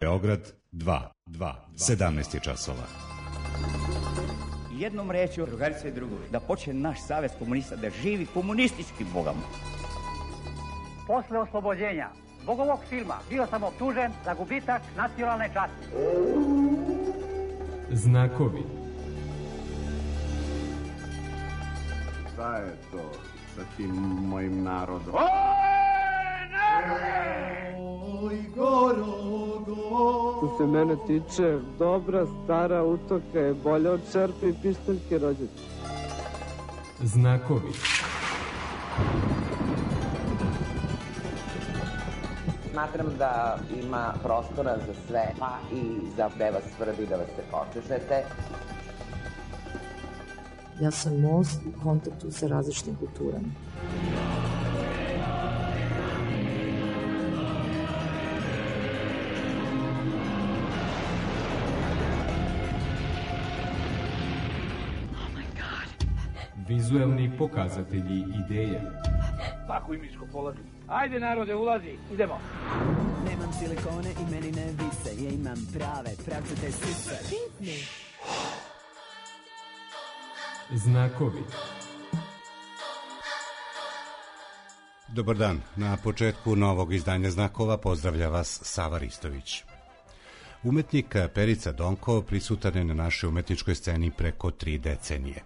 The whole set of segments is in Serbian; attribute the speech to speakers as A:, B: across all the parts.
A: Beograd 2, 17 je časova.
B: Jednom rečju, drugarice i drugovi, da počne naš savez komunista da živi komunistički bogama.
C: Posle oslobođenja, zbog ovog filma, bio sam optužen za gubitak nacionalne časti.
D: Znakovi.
E: Šta je to sa tim mojim narodom?
F: Oj,
G: Što se mene tiče, dobra stara utoka je bolja od čerpe i pištaljke rođaka.
D: Znakovi.
H: Smatram da ima prostora za sve, pa i za da vas tvrdi da vas se počešete.
I: Ja sam most u kontaktu sa različitim kulturama.
D: Vizuelni pokazatelji ideje.
C: Svako imičko polazi. Ajde narode, ulazi, idemo.
J: Nemam silikone i meni ne vise, ja imam prave, pravcate sise.
D: Znakovi.
A: Dobar dan, na početku novog izdanja Znakova pozdravlja vas Sava Ristović. Umetnik Perica Donkov prisutan je na našoj umetničkoj sceni preko 3 decenije.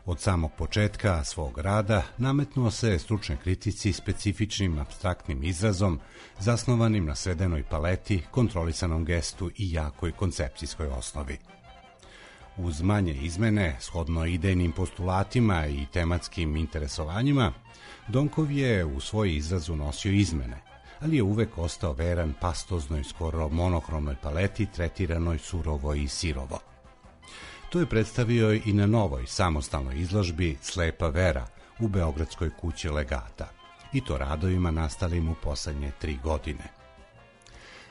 A: Od samog početka svog rada nametnuo se stručnoj kritici specifičnim apstraktnim izrazom, zasnovanim na svedenoj paleti, kontrolisanom gestu i jakoj koncepcijskoj osnovi. Uz manje izmene, shodno idejnim postulatima i tematskim interesovanjima, Donkov je u svoj izraz unosio izmene, ali je uvek ostao veran pastoznoj, skoro monohromnoj paleti, tretiranoj surovo i sirovo. To je predstavio i na novoj samostalnoj izložbi Slepa vera u Beogradskoj kući Legata, i to radovima nastalim u poslednje 3 godine.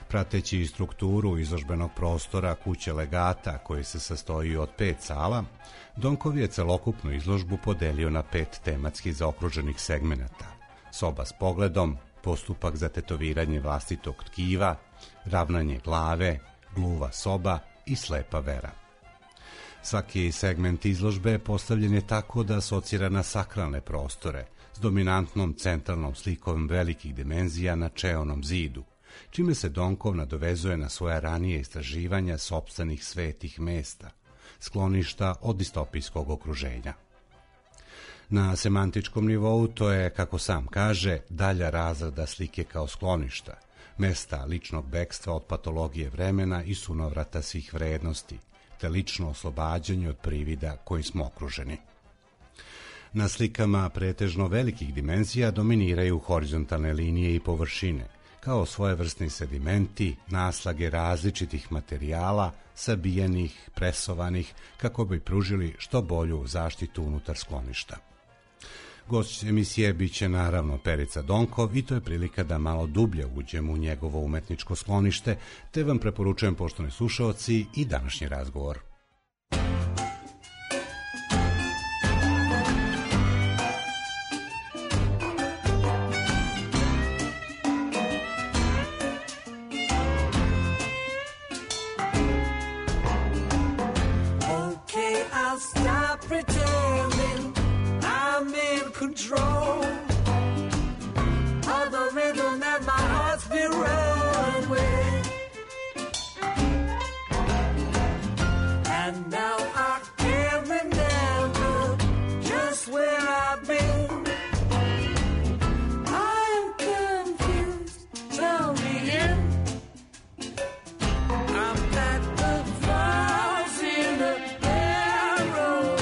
A: Prateći strukturu izložbenog prostora kuće Legata, koji se sastoji od 5 sala, Donkov je celokupnu izložbu podelio na 5 tematski zaokruženih segmenata: soba s pogledom, postupak za tetoviranje vlastitog tkiva, ravnanje glave, gluva soba i slepa vera. Svaki segment izložbe postavljen je tako da asocira na sakralne prostore s dominantnom centralnom slikom velikih dimenzija na čeonom zidu, čime se Donkov nadovezuje na svoja ranije istraživanja sopstvenih svetih mesta, skloništa od distopijskog okruženja. Na semantičkom nivou to je, kako sam kaže, dalja razrada slike kao skloništa, mesta ličnog bekstva od patologije vremena i sunovrata svih vrednosti, te lično oslobađanje od privida kojim smo okruženi. Na slikama pretežno velikih dimenzija dominiraju horizontalne linije i površine, kao svojevrsni sedimenti, naslage različitih materijala, sabijenih, presovanih, kako bi pružili što bolju zaštitu unutar skloništa. Gost emisije biće naravno Perica Donkov i to je prilika da malo dublje uđemo u njegovo umetničko sklonište, te vam preporučujem, poštovani slušaoci, i današnji razgovor.
K: Control of the rhythm that my heart's been running with, and now I can't remember just where I've been. I'm confused, tell me in. I'm at the falls in the narrow.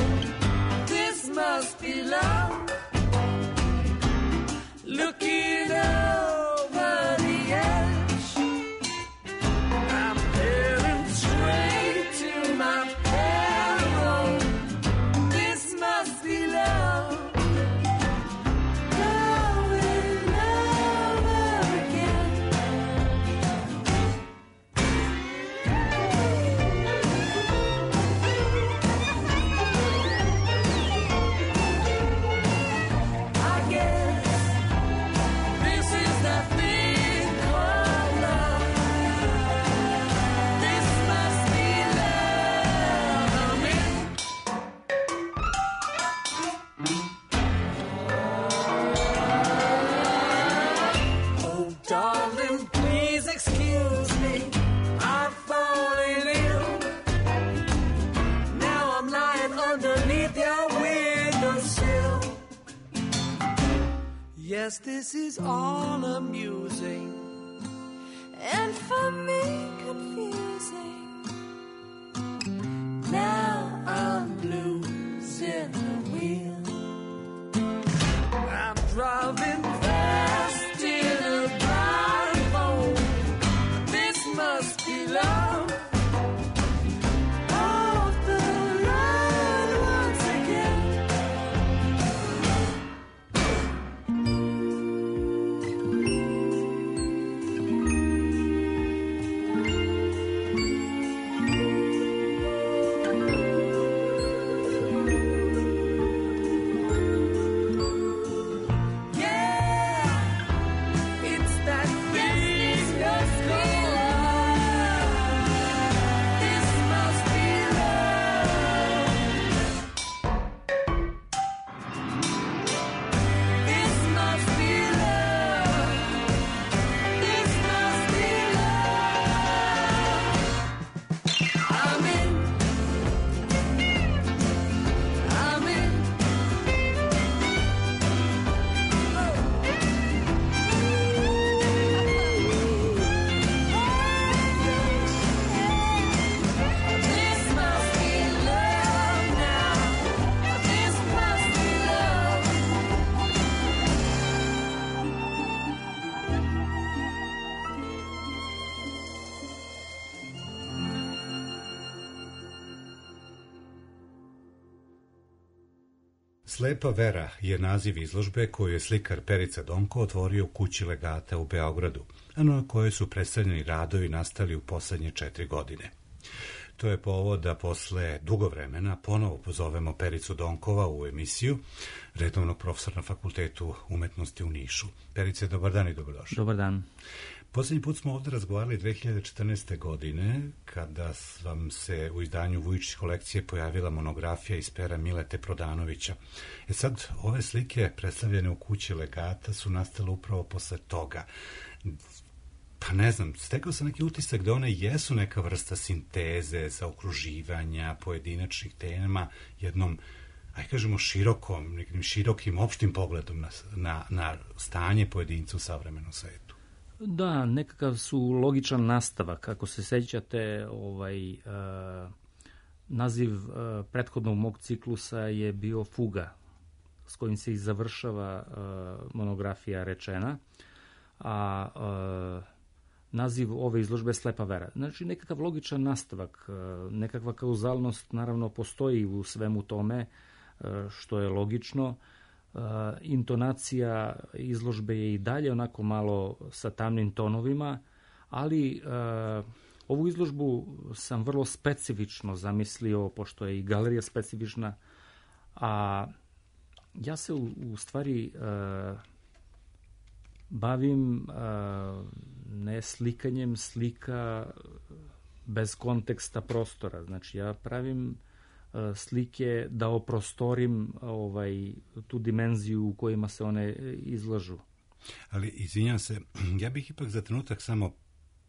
K: Yes, this is all amusing,
F: and for me confusing. Now I'm losing the wheel.
K: I'm driving fast in a blindfold. This must be love.
A: Slepa Vera je naziv izložbe koju je slikar Perica Donko otvorio u kući Legata u Beogradu, a na kojoj su predstavljeni radovi nastali u poslednje 4 godine. To je povod da posle dugo vremena ponovo pozovemo Pericu Donkova u emisiju, redovnog profesora na Fakultetu umetnosti u Nišu. Perice, dobar dan i dobrodošli.
L: Dobar dan.
A: Poslednji put smo ovde razgovarali 2014. godine, kada vam se u izdanju Vujičić kolekcije pojavila monografija iz pera Milete Prodanovića. Sad, ove slike predstavljene u kući Legata su nastale upravo posle toga. Pa ne znam, stekao sam neki utisak da one jesu neka vrsta sinteze, zaokruživanja pojedinačnih tema jednom, aj kažemo, nekim širokim opštim pogledom na stanje pojedinca u savremenom svetu.
L: Da, nekakav su logičan nastavak. Ako se sećate, naziv prethodnog mog ciklusa je bio Fuga, s kojim se i završava monografija rečena, a naziv ove izložbe je Slepa Vera. Znači, nekakav logičan nastavak, nekakva kauzalnost naravno postoji u svemu tome, što je logično. Intonacija izložbe je i dalje onako malo sa tamnim tonovima, ali ovu izložbu sam vrlo specifično zamislio, pošto je i galerija specifična, a ja se u stvari bavim ne slikanjem slika bez konteksta prostora. Znači, ja pravim slike da oprostorim tu dimenziju u kojima se one izlažu.
A: Ali, izvinjam se, ja bih ipak za trenutak samo,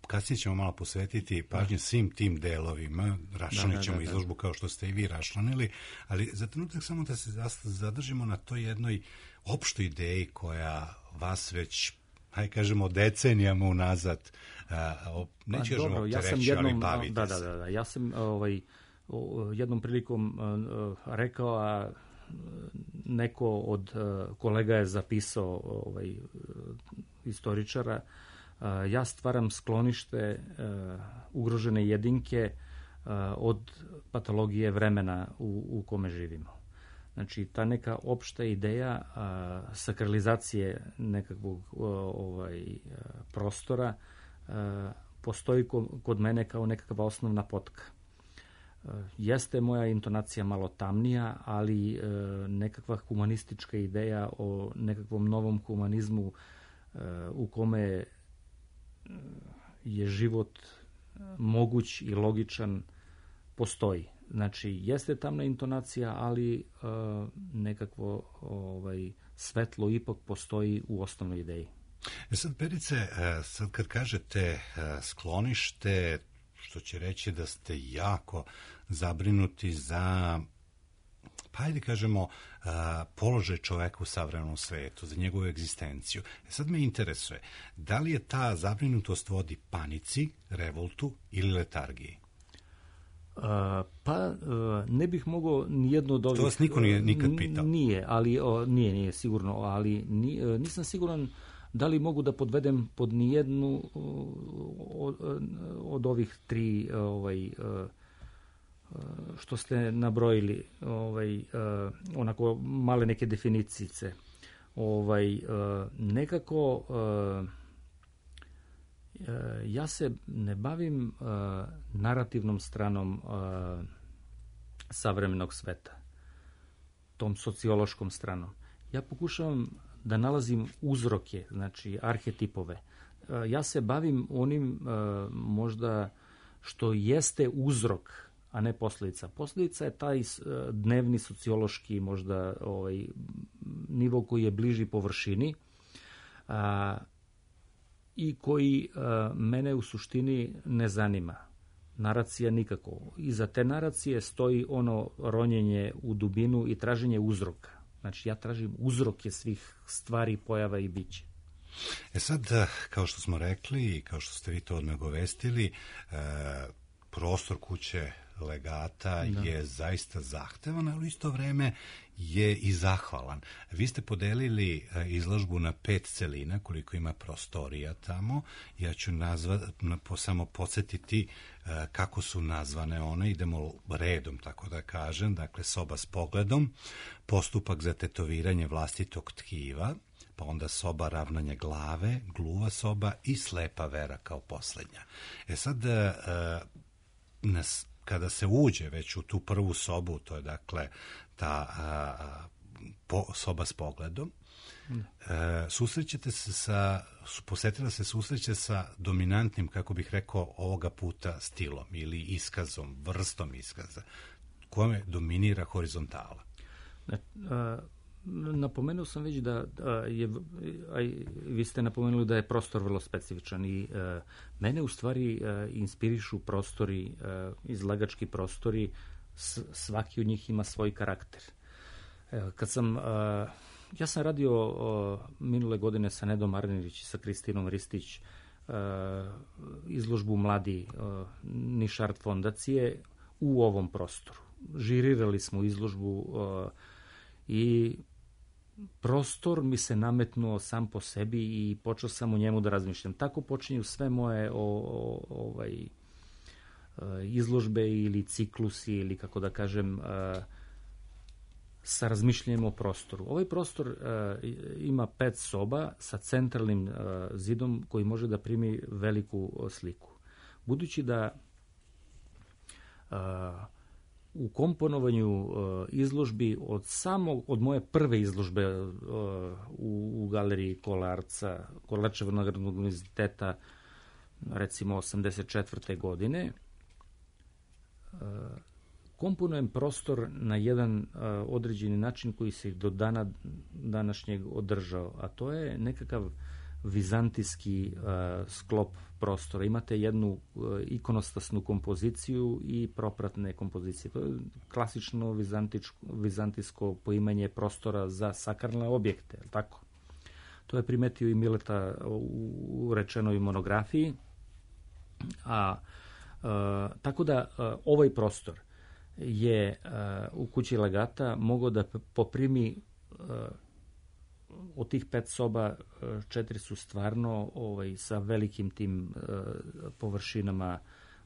A: kasnije ćemo malo posvetiti pažnje svim tim delovima, raščlanit ćemo izložbu kao što ste i vi raščlanili, ali za trenutak samo da se zadržimo na toj jednoj opštoj ideji koja vas već, hajde kažemo, decenijama unazad, neću kažemo optereći, ali bavite se.
L: Da, ja sam jednom prilikom rekao, a neko od kolega je zapisao, istoričara, ja stvaram sklonište ugrožene jedinke od patologije vremena u kome živimo. Znači, ta neka opšta ideja sakralizacije nekakvog prostora postoji kod mene kao nekakva osnovna potka. Jeste moja intonacija malo tamnija, ali nekakva humanistička ideja o nekakvom novom humanizmu u kome je život moguć i logičan postoji. Znači, jeste tamna intonacija, ali nekakvo svetlo ipak postoji u osnovnoj ideji.
A: Sad, Perice, sad kad kažete sklonište, što će reći da ste jako zabrinuti za, hajde kažemo, položaj čoveka u savremenom svetu, za njegovu egzistenciju. Sad me interesuje, da li je ta zabrinutost vodi panici, revoltu ili letargiji?
L: Pa ne bih mogao nijedno od ovih...
A: To vas niko nije nikad pitao?
L: Nije, ali nije sigurno, ali nisam siguran da li mogu da podvedem pod nijednu od ovih tri što ste nabrojili, onako male neke definicice. Nekako ja se ne bavim narativnom stranom savremenog sveta, tom sociološkom stranom. Ja pokušavam da nalazim uzroke, znači arhetipove. Ja se bavim onim možda što jeste uzrok, a ne posljedica. Posljedica je taj dnevni sociološki možda nivo koji je bliži površini i koji mene u suštini ne zanima. Naracija nikako. Iza te naracije stoji ono ronjenje u dubinu i traženje uzroka. Znači ja tražim uzroke svih stvari, pojava i bića.
A: Sad, kao što smo rekli i kao što ste vi to nagovestili, prostor kuće legata je zaista zahtevan, ali u isto vreme je i zahvalan. Vi ste podelili izložbu na 5 celina, koliko ima prostorija tamo. Ja ću samo podsjetiti kako su nazvane one. Idemo redom, tako da kažem. Dakle, soba s pogledom, postupak za tetoviranje vlastitog tkiva, pa onda soba ravnanja glave, gluva soba i slepa vera kao poslednja. Sad, kada se uđe već u tu prvu sobu, to je dakle ta soba s pogledom, susrećete se posetila se susreće sa dominantnim, kako bih rekao, ovoga puta stilom ili iskazom, vrstom iskaza, kome dominira horizontala.
L: Napomenuo sam već da vi ste napomenuli da je prostor vrlo specifičan i mene u stvari inspirišu prostori, izlagački prostori, svaki od njih ima svoj karakter. Ja sam radio minule godine sa Nedom Arnerić i sa Kristinom Ristić izložbu Mladi Nišart fondacije u ovom prostoru. Žirirali smo izložbu i prostor mi se nametnuo sam po sebi i počeo sam u njemu da razmišljam. Tako počinju sve moje izložbe ili ciklusi ili kako da kažem sa razmišljanjem o prostoru. Ovaj prostor ima 5 soba sa centralnim zidom koji može da primi veliku sliku. Budući da u komponovanju izložbi od moje prve izložbe u galeriji Kolarčevog nagradnog univerziteta, recimo 84. godine, komponujem prostor na jedan određeni način koji se do dana današnjeg održao, a to je nekakav vizantijski sklop prostora. Imate jednu ikonostasnu kompoziciju i propratne kompozicije. To je klasično vizantijsko poimanje prostora za sakralne objekte. Tako? To je primetio i Mileta u rečenoj monografiji. Tako da ovaj prostor je u kući legata mogao da poprimi od tih 5 soba 4 su stvarno sa velikim tim površinama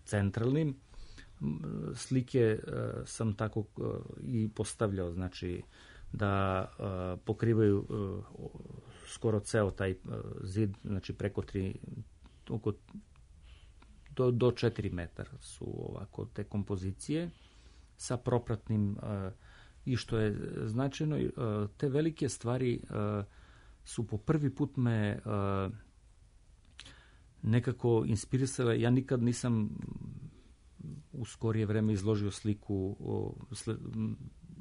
L: centralnim. Slike sam tako i postavljao, znači da pokrivaju skoro ceo taj zid, znači preko 3 do 4 metara su ovako te kompozicije sa propratnim i što je značajno, te velike stvari su po prvi put me nekako inspirisale. Ja nikad nisam u skorije vreme izložio sliku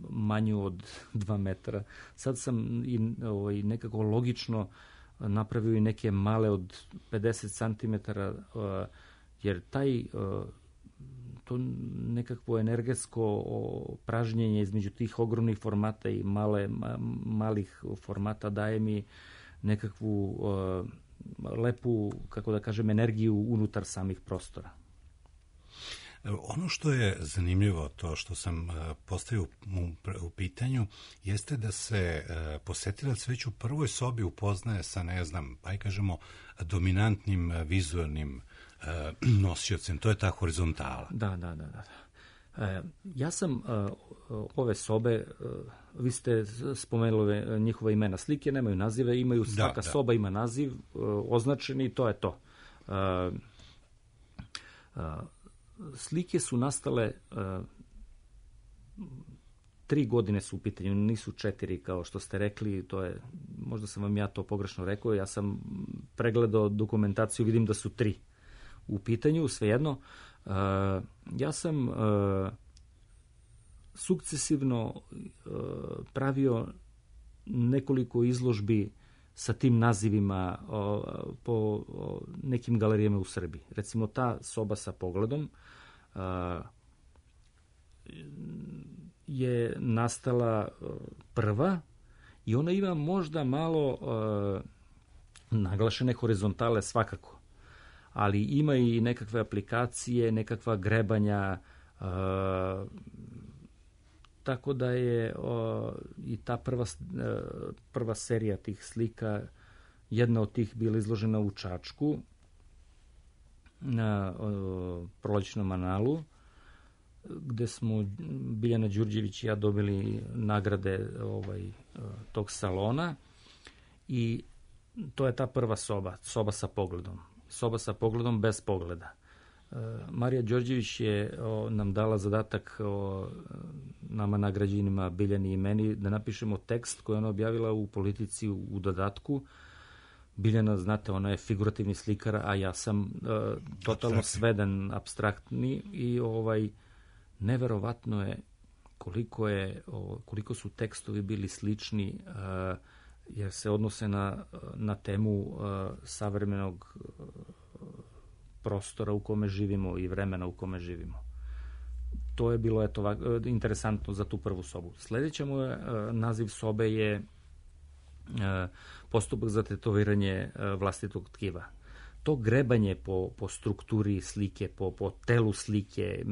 L: manju od 2 metra. Sad sam i nekako logično napravio i neke male od 50 cm, jer to nekakvo energetsko pražnjenje između tih ogromnih formata i malih formata daje mi nekakvu lepu, kako da kažem, energiju unutar samih prostora.
A: Ono što je zanimljivo, to što sam postavio u pitanju, jeste da se posetilac već u prvoj sobi upoznaje sa, ne znam, pa i kažemo, dominantnim vizualnim nosiocem. To je ta horizontala.
L: Da. Ja sam ove sobe, vi ste spomenuli njihova imena, slike nemaju nazive, imaju svaka soba ima naziv označeni i to je to. Slike su nastale 3 godine su u pitanju, nisu 4 kao što ste rekli, to je, možda sam vam ja to pogrešno rekao, ja sam pregledao dokumentaciju, vidim da su 3 u pitanju, svejedno. Ja sam sukcesivno pravio nekoliko izložbi sa tim nazivima po nekim galerijama u Srbiji. Recimo ta soba sa pogledom je nastala prva i ona ima možda malo naglašene horizontale svakako, ali ima i nekakve aplikacije, nekakva grebanja, tako da je i ta prva serija tih slika, jedna od tih bila izložena u Čačku na prolećnom analu, gde smo Biljana Đurđević i ja dobili nagrade tog salona i to je ta prva soba sa pogledom. Soba sa pogledom bez pogleda. Marija Đorđević je nam dala zadatak nama nagrađenima Biljani i meni da napišemo tekst koji ona objavila u Politici u dodatku. Biljana, znate, ona je figurativni slikar, a ja sam totalno sveden, apstraktni i neverovatno je koliko su tekstovi bili slični, jer se odnose na temu savremenog prostora u kome živimo i vremena u kome živimo. To je bilo interesantno za tu prvu sobu. Sljedeća moja naziv sobe je postupak za tetoviranje vlastitog tkiva. To grebanje po strukturi slike, po telu slike,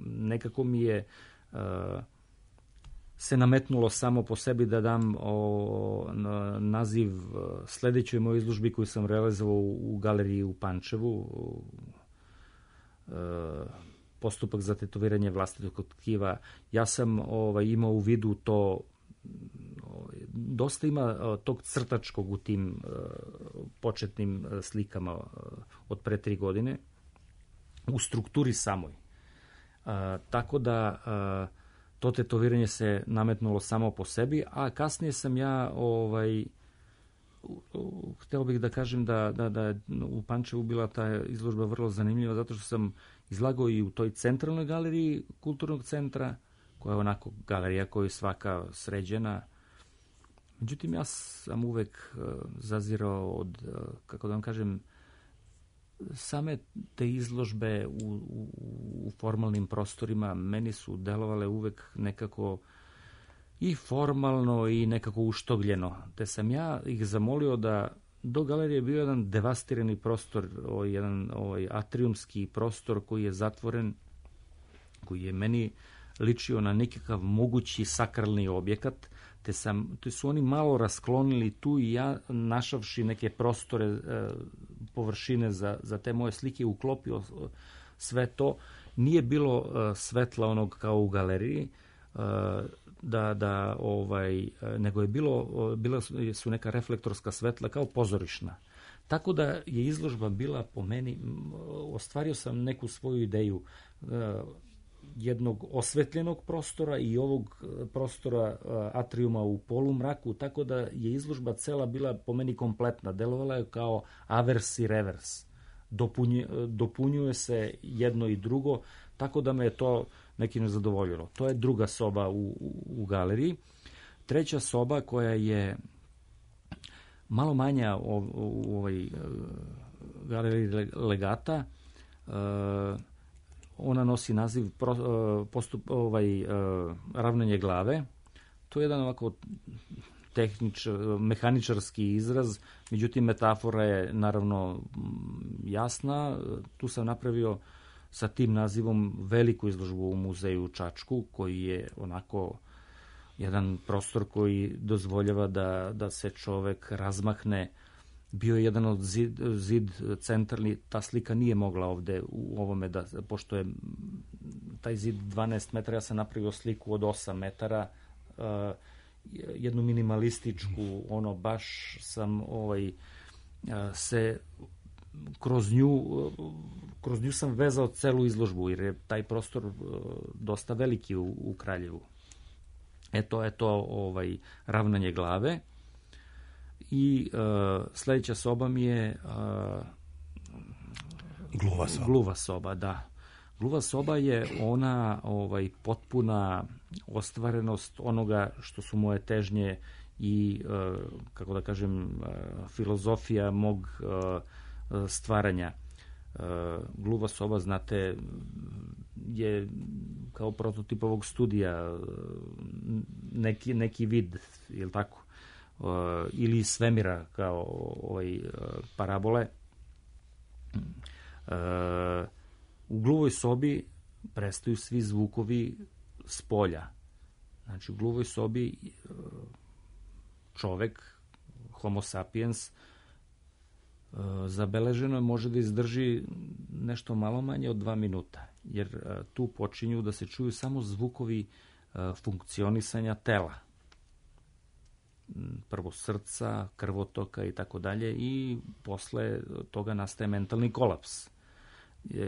L: nekako mi je se nametnulo samo po sebi da dam naziv sljedećoj mojoj izložbi koju sam realizovao u galeriji u Pančevu, postupak za tetoviranje vlastitog tkiva. Ja sam imao u vidu to, dosta ima tog crtačkog u tim početnim slikama od pre 3 godine, u strukturi samoj. Tako da to tetoviranje se nametnulo samo po sebi, a kasnije sam ja hteo bih da kažem da u Pančevu bila ta izložba vrlo zanimljiva, zato što sam izlagao i u toj centralnoj galeriji kulturnog centra, koja je onako galerija koja je svaka sređena. Međutim, ja sam uvek zazirao od, kako da vam kažem, same te izložbe u formalnim prostorima meni su delovale uvek nekako i formalno i nekako uštogljeno. Te sam ja ih zamolio da do galerije je bio jedan devastirani prostor, jedan atriumski prostor koji je zatvoren, koji je meni ličio na nekakav mogući sakralni objekat, te su oni malo rasklonili tu i ja, našavši neke prostore, površine za te moje slike, uklopio sve to. Nije bilo svetla onog kao u galeriji, nego je bila su neka reflektorska svetla kao pozorišna. Tako da je izložba bila po meni, ostvario sam neku svoju ideju jednog osvetljenog prostora i ovog prostora atriuma u polumraku, tako da je izložba cela bila po meni kompletna. Delovala je kao avers i revers. Dopunjuje se jedno i drugo, tako da me je to nekim zadovoljilo. To je druga soba u galeriji. Treća soba koja je malo manja u ovoj galeriji Legata, ona nosi naziv ravnanje glave. To je jedan ovako mehaničarski izraz, međutim metafora je naravno jasna. Tu sam napravio sa tim nazivom veliku izložbu u muzeju u Čačku, koji je onako jedan prostor koji dozvoljava da se čovek razmahne. Bio je jedan od zid centralni, ta slika nije mogla ovde u ovome, pošto je taj zid 12 metara, ja sam napravio sliku od 8 metara, jednu minimalističku, baš sam se kroz nju sam vezao celu izložbu, jer je taj prostor dosta veliki u Kraljevu. To ravnanje glave. I sledeća soba mi je gluva soba, da. Gluva soba je ona potpuna ostvarenost onoga što su moje težnje i, kako da kažem, filozofija mog stvaranja. Gluva soba, znate, je kao prototip ovog studija neki vid, je li tako? Ili svemira kao parabole. U gluvoj sobi prestaju svi zvukovi s polja. Znači, u gluvoj sobi čovek, homo sapiens, zabeleženo može da izdrži nešto malo manje od 2 minuta, jer tu počinju da se čuju samo zvukovi funkcionisanja tela. Prvo srca, krvotoka i tako dalje, i posle toga nastaje mentalni kolaps.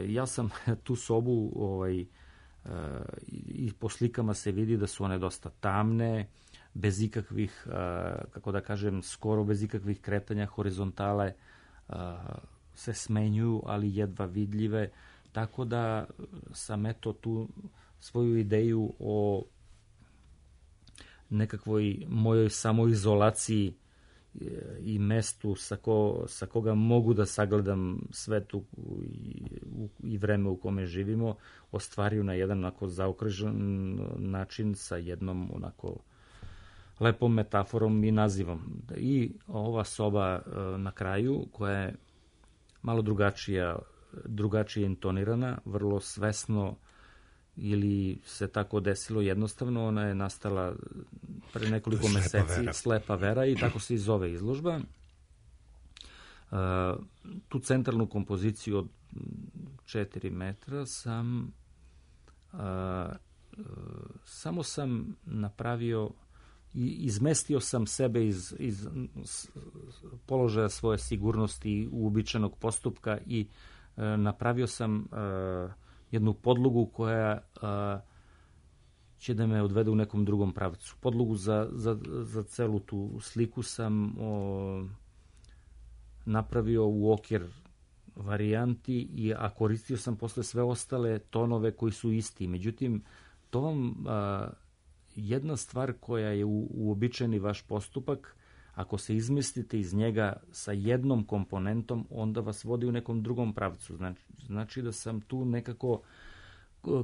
L: Ja sam tu sobu i po slikama se vidi da su one dosta tamne, bez ikakvih, kako da kažem, skoro bez ikakvih kretanja, horizontale se smenjuju, ali jedva vidljive, tako da sam tu svoju ideju o nekakvoj mojoj samoizolaciji i mestu sa koga mogu da sagledam svetu i vreme u kome živimo, ostvario na jedan onako zaokružen način sa jednom onako lepom metaforom i nazivom. I ova soba na kraju, koja je malo drugačije intonirana, vrlo svesno, ili se tako desilo jednostavno, ona je nastala pre nekoliko meseci, Slepa vera, i tako se i zove izložba. Tu centralnu kompoziciju od 4 metra samo sam napravio i izmestio sam sebe iz položaja svoje sigurnosti uobičajenog postupka i napravio sam jednu podlogu koja će da me odvede u nekom drugom pravcu. Podlogu za celu tu sliku sam napravio u okvir varijanti, a koristio sam posle sve ostale tonove koji su isti. Međutim, to vam jedna stvar koja je uobičajeni vaš postupak, ako se izmestite iz njega sa jednom komponentom, onda vas vodi u nekom drugom pravcu. Znači da sam tu nekako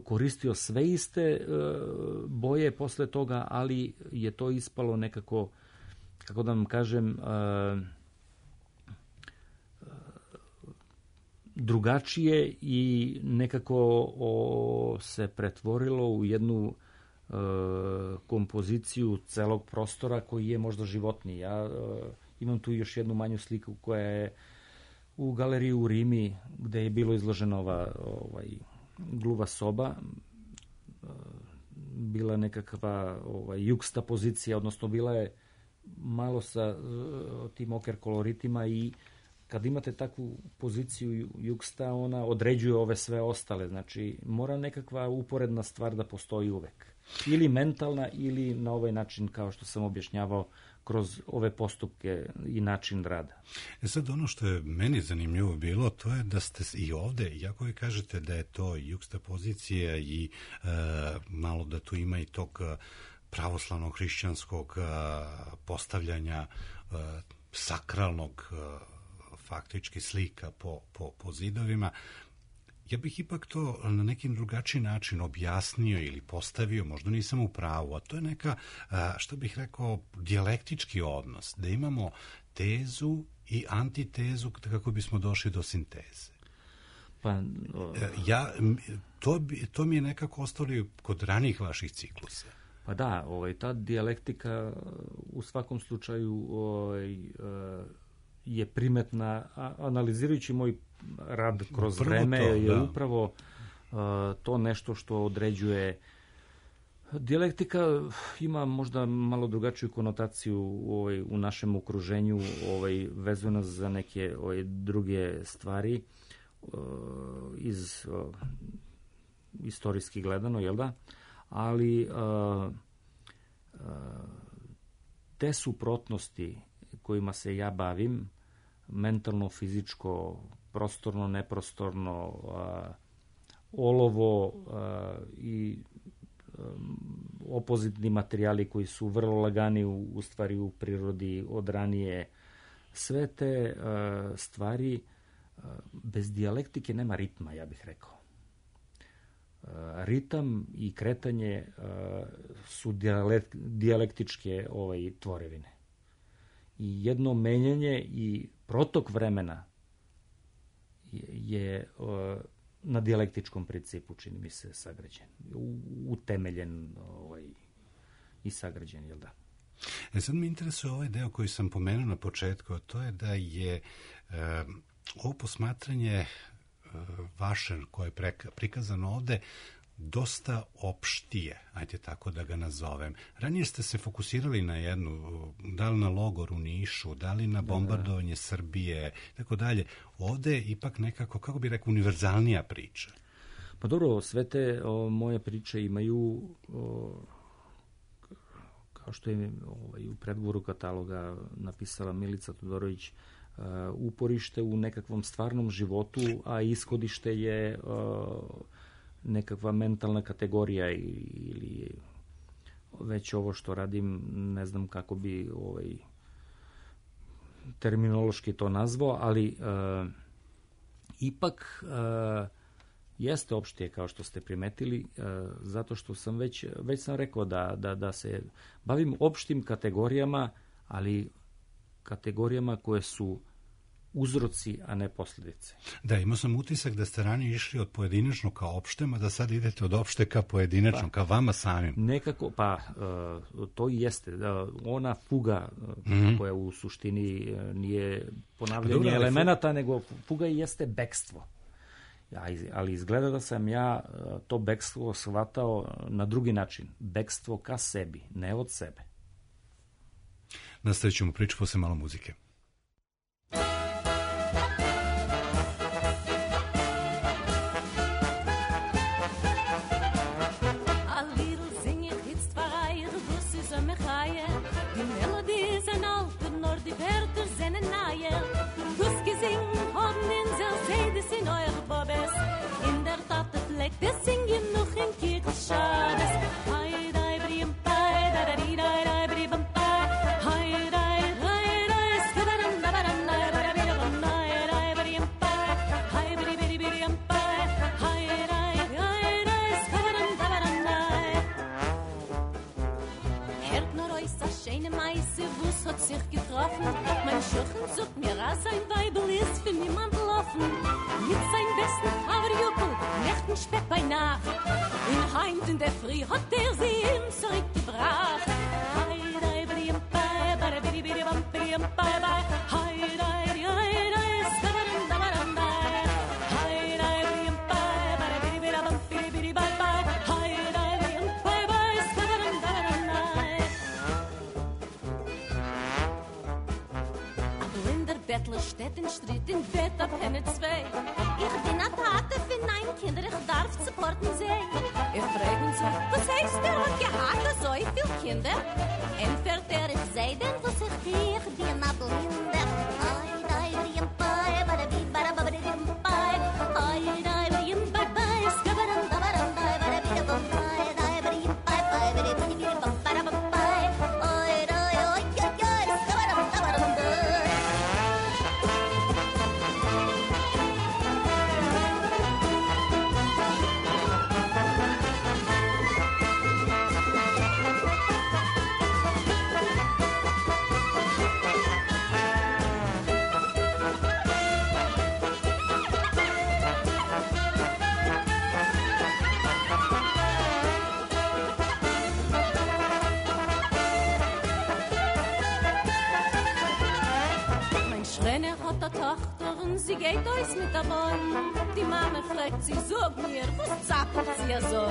L: koristio sve iste boje posle toga, ali je to ispalo nekako, kako da vam kažem, drugačije i nekako se pretvorilo u jednu kompoziciju celog prostora koji je možda životniji. Ja imam tu još jednu manju sliku koja je u galeriji u Rimi, gde je bilo izložena ova gluva soba. Bila nekakva jugsta pozicija, odnosno bila je malo sa tim oker koloritima, i kad imate takvu poziciju jugsta, ona određuje ove sve ostale. Znači, mora nekakva uporedna stvar da postoji uvek. Ili mentalna, ili na ovaj način, kao što sam objašnjavao, kroz ove postupke i način rada.
A: Sad, ono što je meni zanimljivo bilo, to je da ste i ovde, iako vi kažete da je to jugsta pozicija i malo da tu ima i tog pravoslavnog hrišćanskog postavljanja sakralnog faktički slika po zidovima, Ja bih ipak to na nekim drugačiji način objasnio ili postavio, možda nisam u pravu, a to je neka, što bih rekao, dijalektički odnos, da imamo tezu i antitezu kako bismo došli do sinteze.
L: Pa,
A: to mi je nekako ostalo kod ranijih vaših ciklusa.
L: Pa da, ta dijalektika u svakom slučaju je primetna, analizirajući moj rad kroz vreme, je upravo to nešto što određuje. Dijalektika ima možda malo drugačiju konotaciju u našem okruženju, vezano za neke druge stvari, iz istorijski gledano, jel da? Ali te suprotnosti kojima se ja bavim, mentalno, fizičko, prostorno, neprostorno, olovo i opozitni materijali koji su vrlo lagani u stvari u prirodi od ranije, sve te stvari, bez dijalektike nema ritma, ja bih rekao. Ritam i kretanje su dijalektičke tvorevine. I jedno menjanje i protok vremena je na dijalektičkom principu, čini mi se, sagrađen, utemeljen i sagrađen, jel da?
A: Sad mi interesuje ovaj deo koji sam pomenuo na početku, a to je da je ovo posmatranje vaše koje je prikazano ovde dosta opštije, ajde tako da ga nazovem. Ranije ste se fokusirali na jednu, da li na logor u Nišu, da li na bombardovanje Srbije, tako dalje. Ovde je ipak nekako, kako bih rekao, univerzalnija priča.
L: Pa dobro, sve te moje priče imaju, kao što je u predgovoru kataloga napisala Milica Todorović, uporište u nekakvom stvarnom životu, a ishodište je nekakva mentalna kategorija ili već ovo što radim, ne znam kako bi terminološki to nazvao, ali ipak jeste opštije, kao što ste primetili, zato što sam već sam rekao da se bavim opštim kategorijama, ali kategorijama koje su uzroci, a ne posljedice.
A: Da, imao sam utisak da ste ranije išli od pojedinačno ka opštem, a da sad idete od opšte ka pojedinačno, ka vama samim.
L: Nekako, to i jeste. Ona fuga koja u suštini nije ponavljanje elemenata, nego fuga i jeste bekstvo. Ali izgleda da sam ja to bekstvo shvatao na drugi način. Bekstvo ka sebi, ne od sebe.
A: Nastavit ćemo priču posle malo muzike.
F: Mein Schirchen sucht mir raus, ein Weibel ist für niemand laufen. Mit seinem besten Haverjuppel, Nächten spät bei Nacht. In Heimt in der Früh hat sie ihm zurückgebracht. Hei, brim, bye, bye, bidi, bidi, bum, bidi, bye, bye. Hei, skabaram, dabaram, bye. Hei, brim, bye, bye, bidi, bidi, bum, bidi, bidi, bye, bye. Hei, brim, bye, bye, skabaram, dabaram, bye. Bettler steht in Stritt in Bett ab Henne 2. Ich bin a Tate für 9 Kinder, ich darf supporten sehen. Ich frag uns, was heißt der hat gehabt, so viel Kinder? Entfährt ich sei denn, was ich dich dir na blinder. Ai, dai, brim, bye, bada, bi, bada, bada, bim, bye. Ai, dai, brim, bye, bye, skabaram, dabaram, bye, bada, bi, da, bum, bye, dai, brim, bye, bye, bada, bi, bi, bum, bada, bum, bye. Ai, dai, oi, skabaram, dabaram, bye. geht euch mit dabei. Die Mama fragt sie, sag mir, was zappelt sie so?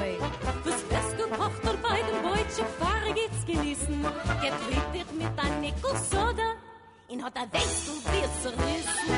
F: Was fest gekocht und bei dem Beutchen Fahrer geht's genießen. Geht richtig mit ein Nickel Soda. In hat weißt du, wie es zerrissen.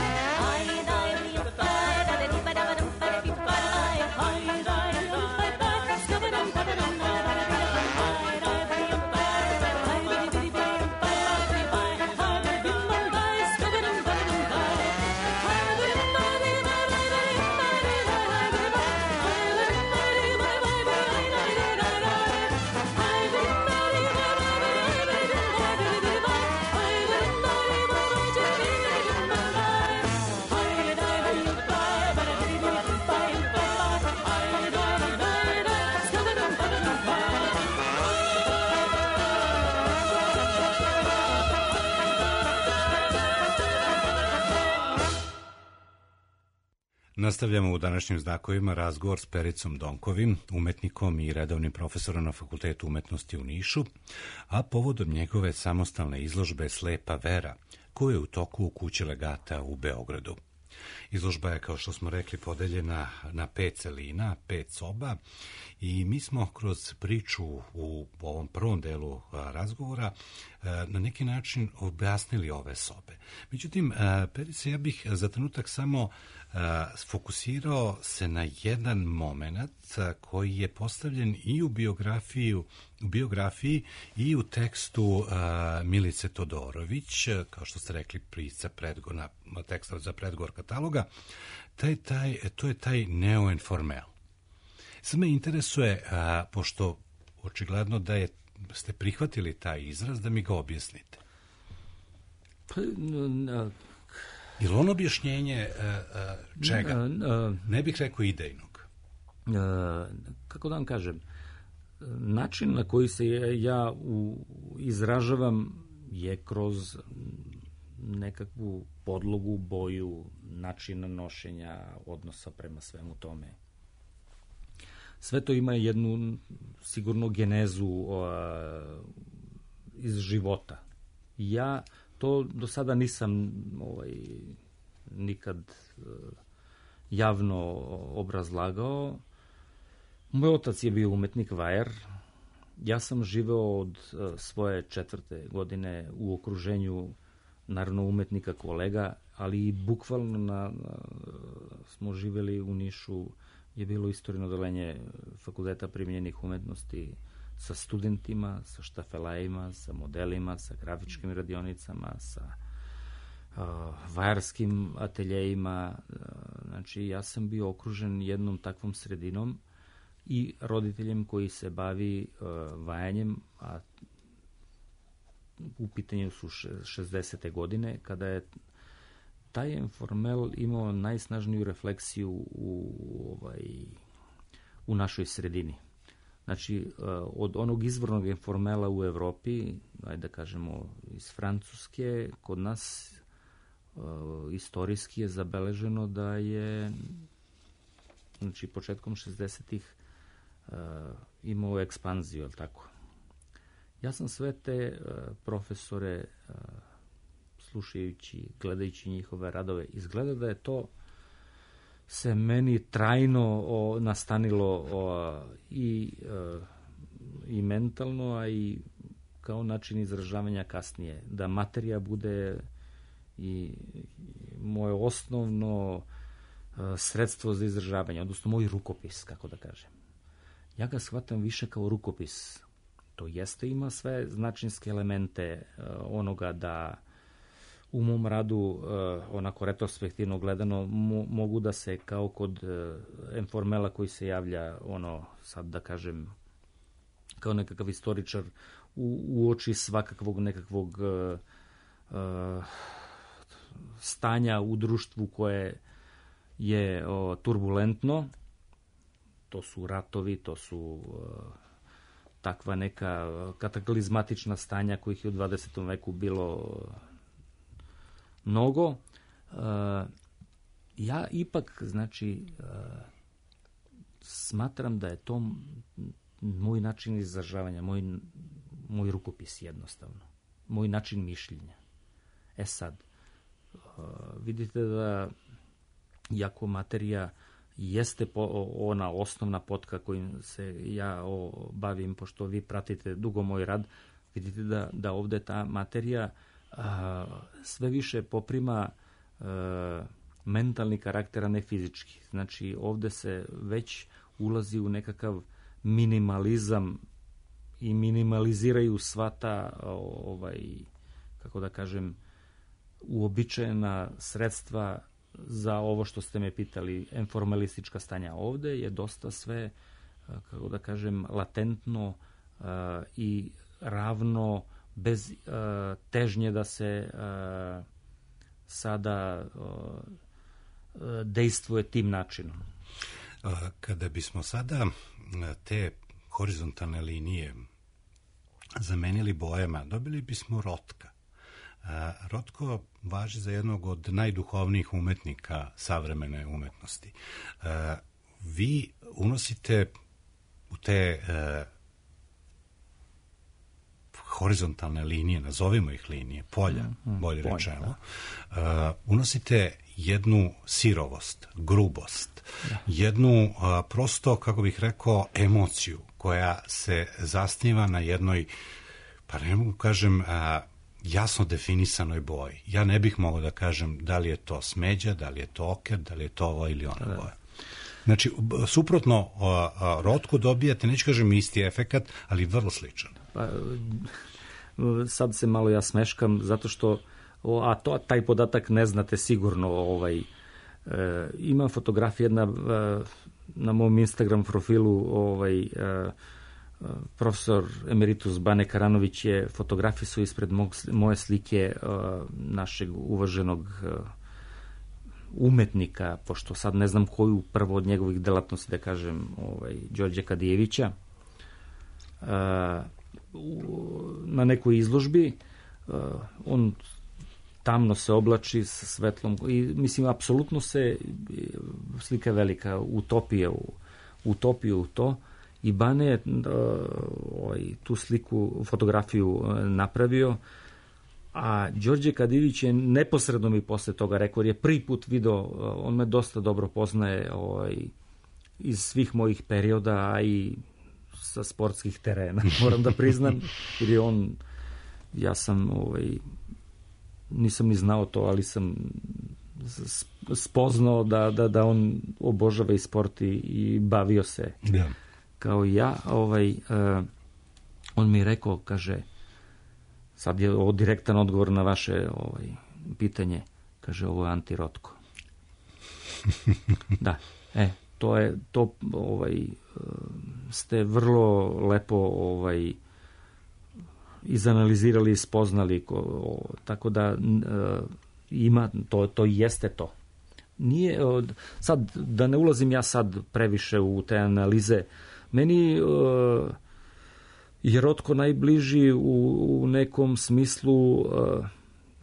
A: Nastavljamo u današnjim znakovima razgovor s Pericom Donkovim, umetnikom i redovnim profesorom na Fakultetu umetnosti u Nišu, a povodom njegove samostalne izložbe Slepa vera, koja je u toku u kući legata u Beogradu. Izložba je, kao što smo rekli, podeljena na 5 celina, 5 soba i mi smo kroz priču u ovom prvom delu razgovora na neki način objasnili ove sobe. Međutim, Perice, ja bih za trenutak samo fokusirao se na jedan moment koji je postavljen i u biografiji i u tekstu Milice Todorović, kao što ste rekli, prica teksta za predgovor kataloga. To je taj neoinformel. Sad me interesuje, pošto očigledno da ste prihvatili taj izraz, da mi ga objasnite. Ili ono objašnjenje čega? Ne bih rekao idejnog.
L: Kako da vam kažem, način na koji se ja izražavam je kroz nekakvu podlogu, boju, načina nošenja, odnosa prema svemu tome. Sve to ima jednu sigurno genezu iz života. Ja to do sada nisam nikad javno obrazlagao. Moj otac je bio umetnik vajar. Ja sam živeo od svoje 4. godine u okruženju naravno umetnika kolega, ali i bukvalno smo živeli u Nišu, je bilo istorijno odeljenje Fakulteta primijenjenih umetnosti sa studentima, sa štafelajima, sa modelima, sa grafičkim radionicama, sa vajarskim ateljejima. Znači, ja sam bio okružen jednom takvom sredinom i roditeljem koji se bavi vajanjem, a u pitanju su 60. godine, kada je taj informel imao najsnažniju refleksiju u našoj sredini. Znači, od onog izvornog informela u Evropi, ajde da kažemo iz Francuske, kod nas istorijski je zabeleženo da je, znači, početkom 60-ih imao ekspanziju, ali tako. Ja sam sve te profesore, slušajući, gledajući njihove radove, izgleda da je to se meni trajno nastanilo i mentalno, a i kao način izražavanja kasnije. Da materija bude i moje osnovno sredstvo za izražavanje, odnosno moj rukopis, kako da kažem. Ja ga shvatam više kao rukopis. To jeste, ima sve značinske elemente onoga da u mom radu, onako retrospektivno gledano, mogu da se kao kod informela koji se javlja, sad da kažem, kao nekakav istoričar, uoči svakakvog nekakvog stanja u društvu koje je turbulentno. To su ratovi, to su takva neka kataklizmatična stanja kojih je u 20. veku bilo mnogo. Ja ipak, znači, smatram da je to moj način izražavanja, moj rukopis jednostavno, moj način mišljenja. Sad, vidite da iako materija jeste ona osnovna potka kojim se ja bavim, pošto vi pratite dugo moj rad, vidite da ovde ta materija sve više poprima mentalni karakter, a ne fizički. Znači, ovde se već ulazi u nekakav minimalizam i minimaliziraju sva ta, kako da kažem, uobičajena sredstva za ovo što ste me pitali, informalistička stanja. Ovde je dosta sve, kako da kažem, latentno i ravno, bez težnje da se sada dejstvuje tim načinom.
A: Kada bismo sada te horizontalne linije zamenili bojama, dobili bismo Rotka. Rotko važi za jednog od najduhovnijih umetnika savremene umetnosti. Vi unosite u te horizontalne linije, nazovimo ih linije, polja, bolje rečeno, unosite jednu sirovost, grubost, jednu prosto, kako bih rekao, emociju koja se zasniva na jednoj, pa ne mogu kažem, jasno definisanoj boji. Ja ne bih mogao da kažem da li je to smeđa, da li je to oker, da li je to ovo ili ona boja. Znači, suprotno Rotku dobijate, neću kažem isti efekat, ali vrlo sličan.
L: Pa, sad se malo ja smeškam, zato što taj podatak ne znate sigurno. Ima fotografija jedna na mom Instagram profilu, profesor emeritus Bane Karanović je fotografisao ispred moje slike našeg uvaženog umetnika, pošto sad ne znam koju prvo od njegovih delatnosti, da kažem, Đorđe Kadijevića, na nekoj izložbi. On tamno se oblači sa svetlom i mislim, apsolutno se slika je velika, utopija u to, i Bane je tu sliku, fotografiju napravio, a Đorđe Kadijević je neposredno mi posle toga rekao, jer je prvi put video, on me dosta dobro poznaje iz svih mojih perioda, a i sa sportskih terena, moram da priznam, jer je on, ja sam nisam ni znao to, ali sam spoznao da on obožava i sport i bavio se kao i ja. On mi je rekao, kaže, sad je ovo direktan odgovor na vaše pitanje, kaže, ovo je anti-Rotko. Da, to ste vrlo lepo izanalizirali i spoznali, tako da ima, to jeste to. Nije, sad, da ne ulazim ja sad previše u te analize, meni je Rotko najbliži u nekom smislu,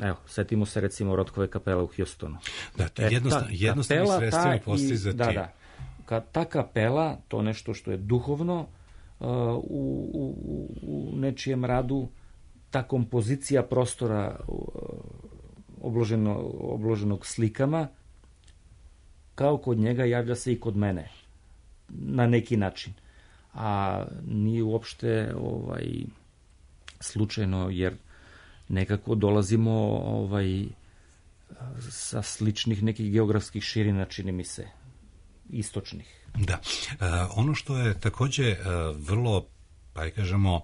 L: evo, setimo se recimo Rotkove kapele u Houstonu.
A: Da, to je jednostavni sredstveni postizati.
L: Da. Ta kapela, to nešto što je duhovno u nečijem radu, ta kompozicija prostora obloženog slikama, kao kod njega javlja se i kod mene na neki način. A nije uopšte slučajno, jer nekako dolazimo sa sličnih nekih geografskih širina, čini mi se, istočnih.
A: Da. Ono što je takođe vrlo, pa kažemo,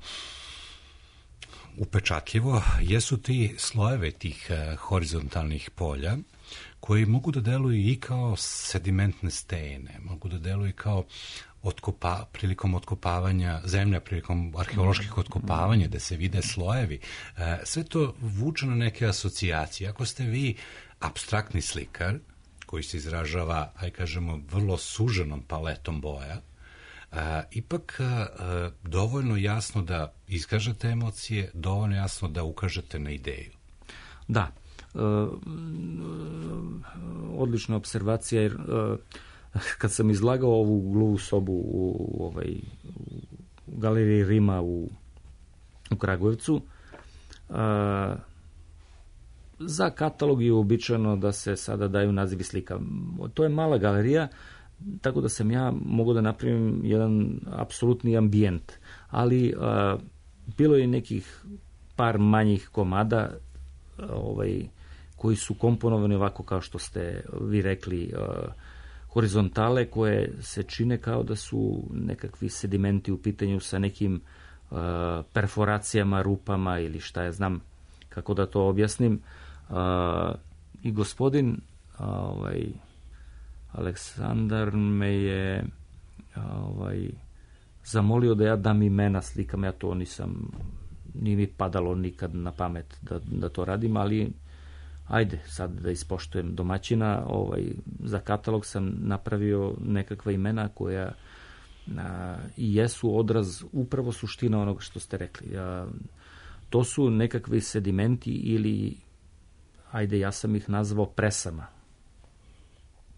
A: upečatljivo, jesu ti slojeve tih horizontalnih polja, koji mogu da deluju i kao sedimentne stene, mogu da deluju i kao prilikom otkopavanja zemlja, prilikom arheoloških otkopavanja, da se vide slojevi. Sve to vuče na neke asocijacije. Ako ste vi apstraktni slikar, koji se izražava, kažemo, vrlo suženom paletom boja, ipak dovoljno jasno da iskažete emocije, dovoljno jasno da ukažete na ideju.
L: Da. Odlična observacija, jer kad sam izlagao ovu gluvu sobu u galeriji Rima u Kragujevcu, Za katalog je uobičajeno da se sada daju nazivi slika. To je mala galerija, tako da sam ja mogao da napravim jedan apsolutni ambijent. Ali bilo je nekih par manjih komada koji su komponovani ovako kao što ste vi rekli, horizontale koje se čine kao da su nekakvi sedimenti u pitanju sa nekim perforacijama, rupama ili šta ja znam kako da to objasnim. I gospodin Aleksandar me je zamolio da ja dam imena slikama, ja to nije mi padalo nikad na pamet da to radim, ali ajde sad da ispoštujem domaćina. Za katalog sam napravio nekakva imena koja i jesu odraz upravo suština onoga što ste rekli. To su nekakvi sedimenti ili, ajde, ja sam ih nazvao presama.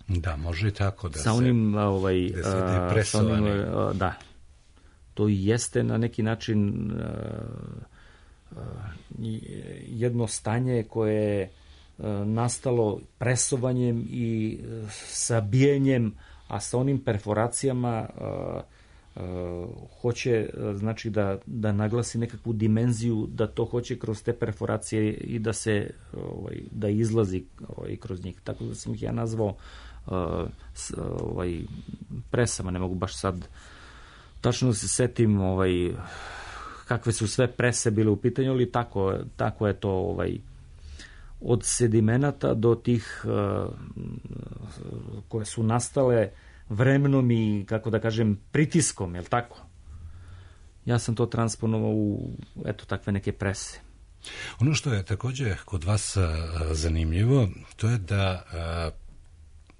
A: Da, može i tako da
L: sa onim,
A: presovani.
L: Da. To jeste na neki način jedno stanje koje je nastalo presovanjem i sabijenjem, a sa onim perforacijama hoće, znači da naglasi nekakvu dimenziju, da to hoće kroz te perforacije i da se da izlazi kroz njih. Tako da sam ih ja nazvao presama. Ne mogu baš sad tačno da se setim kakve su sve prese bile u pitanju, ali tako je to od sedimenata do tih koje su nastale vremenom i, kako da kažem, pritiskom, je li tako? Ja sam to transponovao u takve neke prese.
A: Ono što je također kod vas zanimljivo, to je da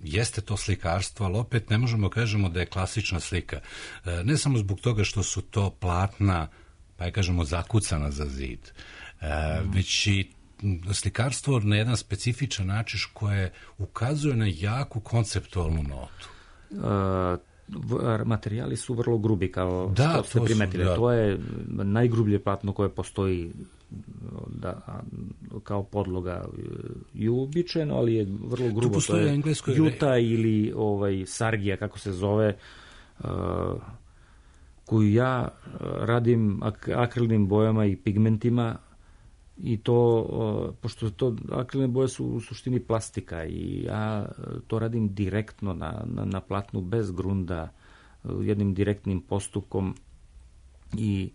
A: jeste to slikarstvo, ali opet ne možemo kažemo da je klasična slika. Ne samo zbog toga što su to platna, pa je kažemo zakucana za zid, već i slikarstvo na jedan specifičan način koje ukazuje na jaku konceptualnu notu.
L: Materijali su vrlo grubi, kao što ste primetili. To je najgrublje platno koje postoji kao podloga i uobičajeno, ali je vrlo grubo.
A: To je
L: juta ili sargija, kako se zove, koju ja radim akrilnim bojama i pigmentima. I to, pošto akrilne boje su u suštini plastika i ja to radim direktno na platnu, bez grunda, jednim direktnim postupkom i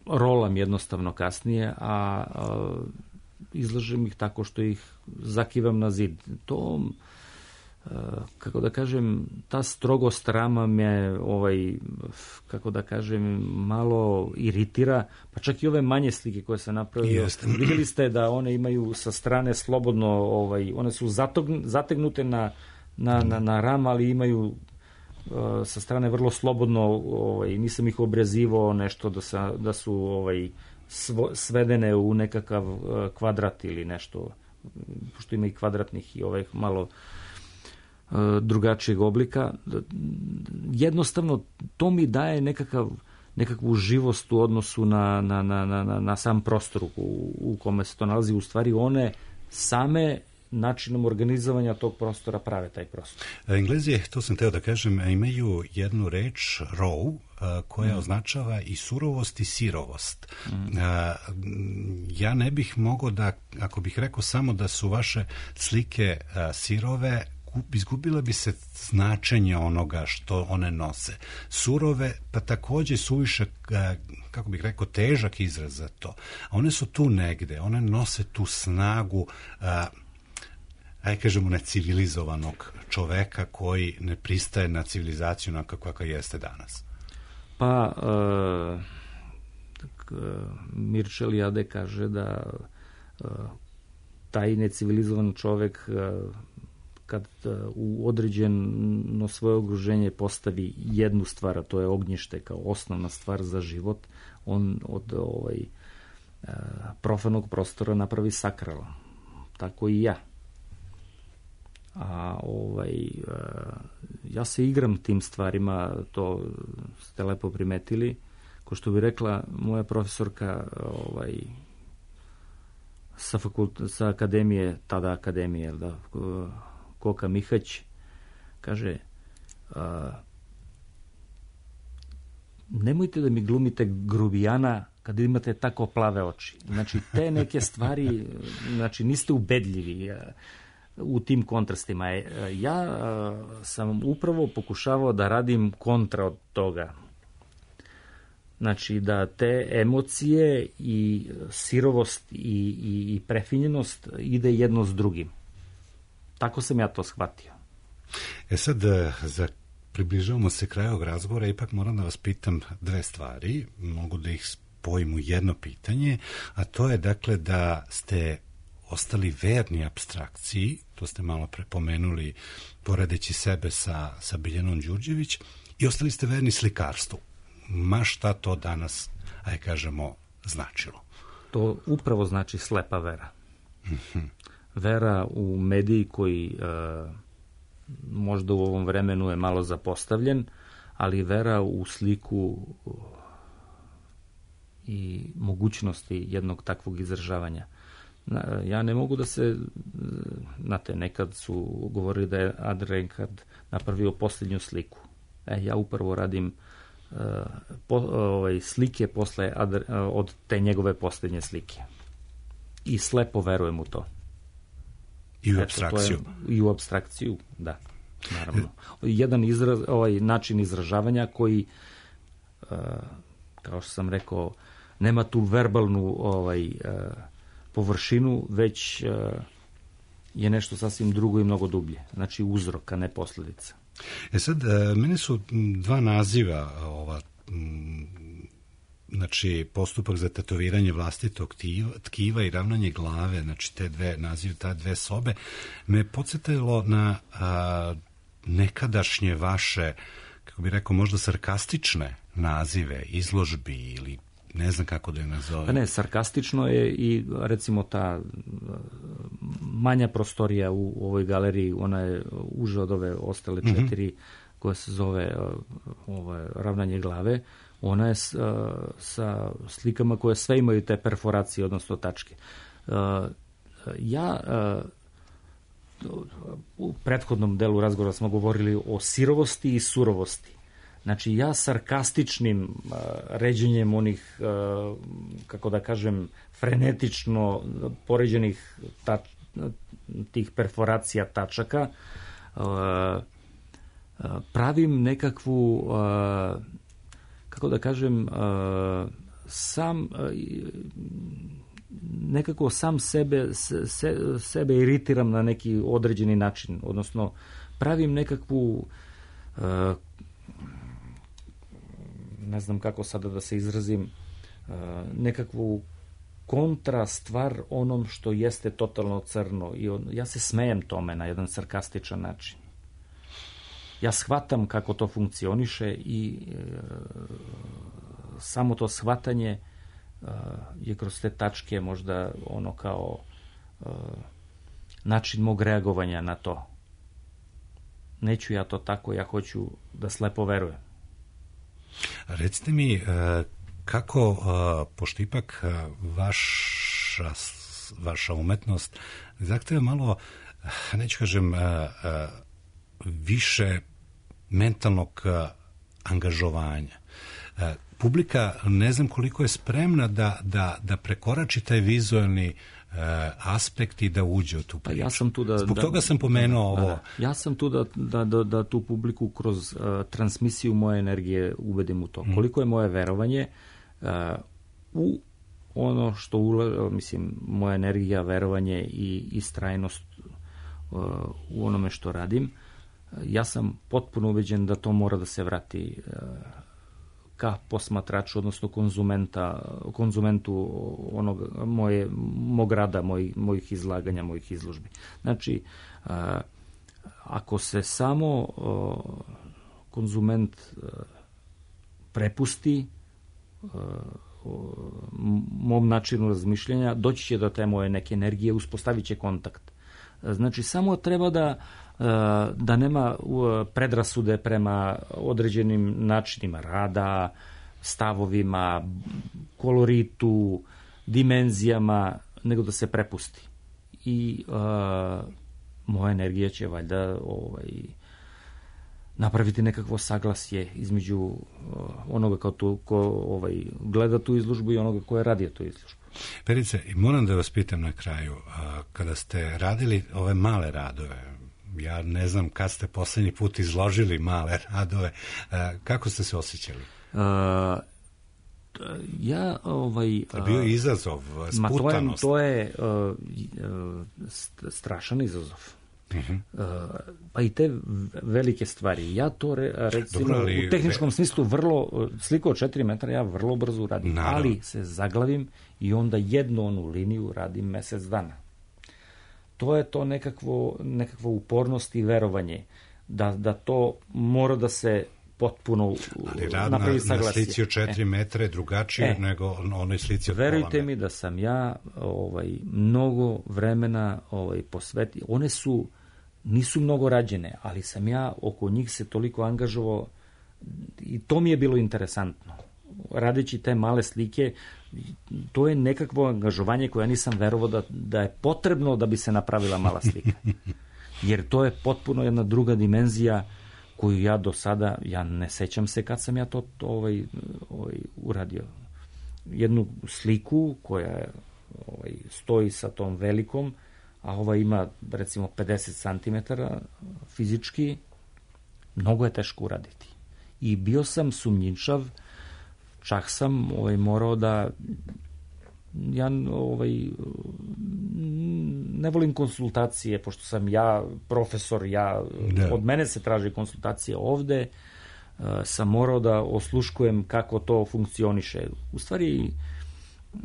L: rolam jednostavno kasnije, a izlažem ih tako što ih zakivam na zid. To, kako da kažem, ta strogost rama me kako da kažem, malo iritira, pa čak i ove manje slike koje sam napravio. Vidjeli ste da one imaju sa strane slobodno, one su zategnute na ram, ali imaju sa strane vrlo slobodno, nisam ih obrezivao nešto da su svedene u nekakav kvadrat ili nešto, pošto ima i kvadratnih i malo drugačijeg oblika. Jednostavno to mi daje nekakvu živost u odnosu na sam prostor u kome se to nalazi. U stvari one same načinom organizovanja tog prostora prave taj prostor.
A: Englezi, to sam teo da kažem, imaju jednu reč raw koja označava i surovost i sirovost. Ja ne bih mogao da, ako bih rekao samo da su vaše slike sirove, izgubila bi se značenje onoga što one nose. Surove, pa također suviše, kako bih rekao, težak izraz za to. A one su tu negde, one nose tu snagu, ajde kažemo, necivilizovanog čoveka koji ne pristaje na civilizaciju onako kakva jeste danas.
L: Pa, Mircea Eliade kaže da taj necivilizovan čovek kad u određeno svoje okruženje postavi jednu stvar, a to je ognjište kao osnovna stvar za život, on od profanog prostora napravi sakral. Tako i ja. A ja se igram tim stvarima, to ste lepo primetili. Ko što bi rekla moja profesorka, sa akademije, tada akademije, da, Koka Mihać, kaže, nemojte da mi glumite grubijana kad imate tako plave oči. Znači, te neke stvari, znači, niste ubedljivi u tim kontrastima. Ja sam upravo pokušavao da radim kontra od toga. Znači, da te emocije i sirovost i prefinjenost ide jedno s drugim. Tako sam ja to shvatio.
A: Sad, približavamo se kraju ovog razgovora, ipak moram da vas pitam dve stvari, mogu da ih spojim u jedno pitanje, a to je dakle da ste ostali verni apstrakciji, to ste malo prepomenuli poredeći sebe sa Biljanom Đurđević, i ostali ste verni slikarstvu. Ma šta to danas, aj kažemo, značilo?
L: To upravo znači slepa vera. Vera u mediji koji možda u ovom vremenu je malo zapostavljen, ali vera u sliku i mogućnosti jednog takvog izražavanja. Ja ne mogu da se, znate, nekad su govorili da je Adrenkad napravio posljednju sliku. Ja upravo radim slike posle od te njegove posljednje slike. I slepo verujem u to.
A: I u apstrakciju.
L: I u apstrakciju, da, naravno. Jedan način izražavanja koji, kao što sam rekao, nema tu verbalnu površinu, već je nešto sasvim drugo i mnogo dublje. Znači uzrok, a ne posljedica.
A: Sad, meni su dva naziva znači postupak za tetoviranje vlastitog tkiva i ravnanje glave, znači te dve nazive, ta dve sobe, me podsjetilo na nekadašnje vaše, kako bih rekao, možda sarkastične nazive, izložbi ili ne znam kako da je nazove.
L: Pa ne, sarkastično je i recimo ta manja prostorija u ovoj galeriji, ona je uža od ove ostale četiri koja se zove ravnanje glave. Ona je sa slikama koje sve imaju te perforacije, odnosno tačke. Ja u prethodnom delu razgovora smo govorili o sirovosti i surovosti. Znači, ja sarkastičnim ređenjem onih, kako da kažem, frenetično poređenih tih perforacija tačaka, pravim nekakvu, kako da kažem, nekako sam sebe iritiram na neki određeni način, odnosno pravim nekakvu, ne znam kako sada da se izrazim, nekakvu kontra stvar onom što jeste totalno crno. I ja se smejem tome na jedan sarkastičan način. Ja shvatam kako to funkcioniše i samo to shvatanje je kroz te tačke možda ono kao način mog reagovanja na to. Neću ja to tako, ja hoću da slepo verujem.
A: Recite mi kako, pošto ipak vaša umetnost zahteva malo, neću kažem, više mentalnog angažovanja. Publika ne znam koliko je spremna da prekorači taj vizualni aspekt i da uđe u tu priču.
L: Ja sam tu
A: Zbog toga sam pomenuo ovo.
L: Ja sam tu da tu publiku kroz transmisiju moje energije uvedim u to. Koliko je moje verovanje u ono što moja energija, verovanje i istrajnost u onome što radim. Ja sam potpuno ubeđen da to mora da se vrati ka posmatraču, odnosno konzumentu mog rada, mojih izlaganja, mojih izložbi. Znači, ako se samo konzument prepusti mom načinu razmišljanja, doći će do te moje neke energije, uspostavit će kontakt. Znači, samo treba da nema predrasude prema određenim načinima rada, stavovima, koloritu, dimenzijama, nego da se prepusti. I moja energija će valjda napraviti nekakvo saglasje između onoga ko gleda tu izložbu i onoga ko je radio tu izložbu.
A: Perice, moram da vas pitam na kraju, kada ste radili ove male radove, ja ne znam kad ste poslednji put izložili male radove, kako ste se osjećali?
L: Bio
A: je izazov, sputanost.
L: To je strašan izazov. Pa i te velike stvari. Ja to recimo u tehničkom smislu sliku od 4 metra ja vrlo brzo uradim, ali se zaglavim i onda jednu onu liniju radim mesec dana. To je to nekakvo upornost i verovanje da to mora da se potpuno napravi saglasje. Ali rad na
A: slici od 4 metra je drugačije nego onoj slici od pola metra.
L: Verujte mi da sam ja mnogo vremena posvetio. One nisu mnogo rađene, ali sam ja oko njih se toliko angažovao i to mi je bilo interesantno. Radeći te male slike, to je nekakvo angažovanje koje ja nisam verovao da je potrebno da bi se napravila mala slika. Jer to je potpuno jedna druga dimenzija koju ja do sada, ja ne sećam se kad sam ja to uradio. Jednu sliku koja stoji sa tom velikom, a ova ima recimo 50 cm fizički, mnogo je teško uraditi. I bio sam sumnjičav, čak sam morao da ja ne volim konsultacije, pošto sam ja profesor, od mene se traži konsultacije ovde, sam morao da osluškujem kako to funkcioniše. U stvari,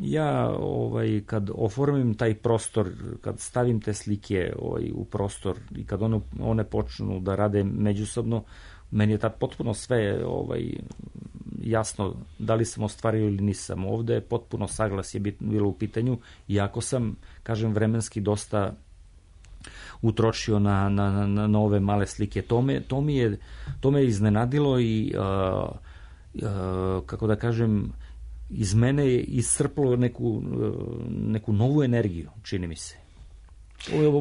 L: ja kad oformim taj prostor, kad stavim te slike u prostor i kad one počnu da rade međusobno, meni je tad potpuno sve jasno da li sam ostvario ili nisam. Ovde potpuno saglasje bilo u pitanju, iako sam, kažem, vremenski dosta utrošio na ove male slike. To me iznenadilo i, kako da kažem, iz mene je iscrplo neku novu energiju, čini mi se.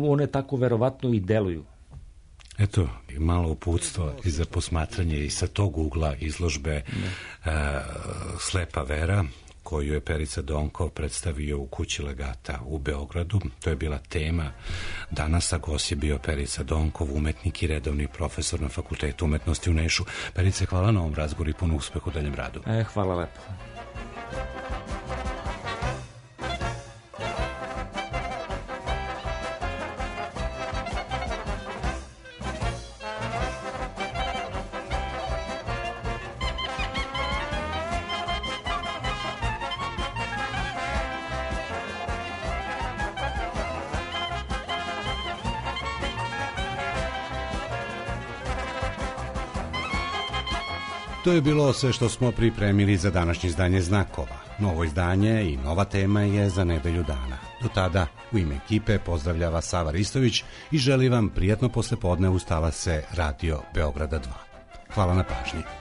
L: One tako verovatno i deluju.
A: Eto, malo uputstvo i za posmatranje i sa tog ugla izložbe Slepa vera, koju je Perica Donkov predstavio u Kući legata u Beogradu. To je bila tema danas, a gost je bio Perica Donkov, umetnik i redovni profesor na Fakultetu umetnosti u Nišu. Perice, hvala na ovom razgovoru i puno uspeha u daljem radu.
L: Hvala lepo.
A: To je bilo sve što smo pripremili za današnje izdanje Znakova. Novo izdanje i nova tema je za nedelju dana. Do tada, u ime ekipe pozdravlja Sava Ristović i želi vam prijatno poslepodne uz talase Radio Beograda 2. Hvala na pažnji.